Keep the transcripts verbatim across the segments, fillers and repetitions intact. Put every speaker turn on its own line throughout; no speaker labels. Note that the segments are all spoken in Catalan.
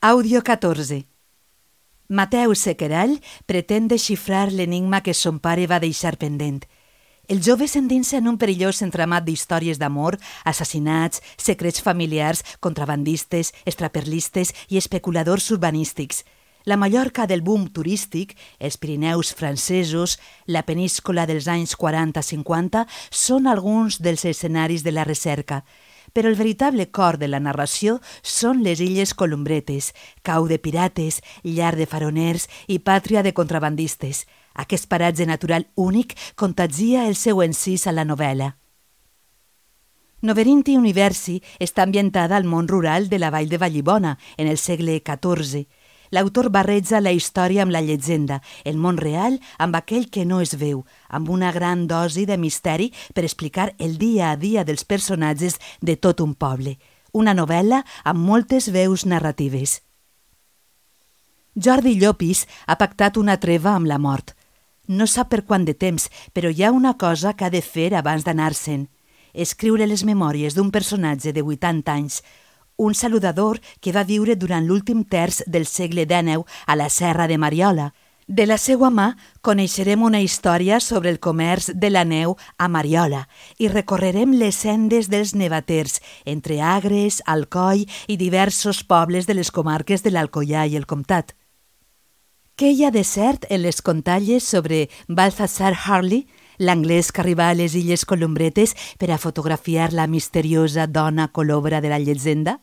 Àudio catorze. Mateu Sequerall pretén desxifrar l'enigma que son pare va deixar pendent. El jove s'endinsa en un perillós entramat d'històries d'amor, assassinats, secrets familiars, contrabandistes, extraperlistes i especuladors urbanístics. La Mallorca del boom turístic, els Pirineus francesos, la penínscola dels anys quaranta-cinquanta són alguns dels escenaris de la recerca. Però el veritable cor de la narració són les illes Columbretes, cau de pirates, llar de faroners i pàtria de contrabandistes. Aquest paratge natural únic contagia el seu encís a la novel·la. Noverinti Universi està ambientada al món rural de la vall de Vallibona, en el segle catorze. L'autor barreja la història amb la llegenda, el món real amb aquell que no es veu, amb una gran dosi de misteri per explicar el dia a dia dels personatges de tot un poble. Una novel·la amb moltes veus narratives. Jordi Llopis ha pactat una treva amb la mort. No sap per quant de temps, però hi ha una cosa que ha de fer abans d'anar-se'n. Escriure les memòries d'un personatge de vuitanta anys, un saludador que va viure durant l'últim terç del segle dènou a la Serra de Mariola. De la seua mà coneixerem una història sobre el comerç de la neu a Mariola i recorrerem les sendes dels nevaters entre Agres, Alcoi i diversos pobles de les comarques de l'Alcoià i el Comtat. Què hi ha de cert en les contalles sobre Balthazar Harley, l'anglès que arribà a les illes Columbretes per a fotografiar la misteriosa dona colobra de la llegenda?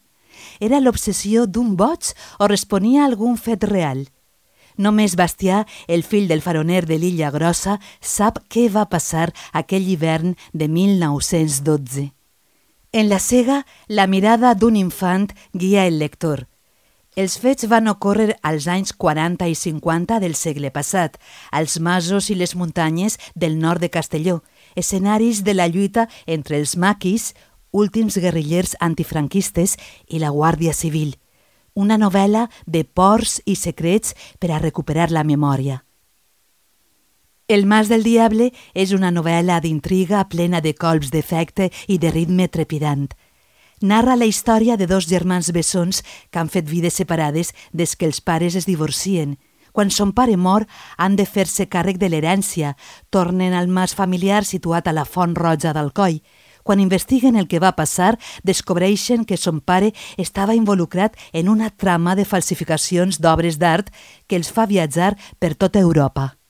Era l'obsessió d'un boig o responia a algun fet real? Només Bastià, el fill del faroner de l'Illa Grossa, sap què va passar aquell hivern de mil nou-cents dotze. En la cega, la mirada d'un infant guia el lector. Els fets van ocórrer als anys quaranta i cinquanta del segle passat, als masos i les muntanyes del nord de Castelló, escenaris de la lluita entre els maquis, últims guerrillers antifranquistes, i la Guàrdia Civil. Una novel·la de pors i secrets per a recuperar la memòria. El Mas del Diable és una novel·la d'intriga plena de colps d'efecte i de ritme trepidant. Narra la història de dos germans bessons que han fet vides separades des que els pares es divorcien. Quan son pare mor, han de fer-se càrrec de l'herència, tornen al mas familiar situat a la Font Roja d'Alcoi. Quan investiguen el que va passar, descobreixen que son pare estava involucrat en una trama de falsificacions d'obres d'art que els fa viatjar per tota Europa.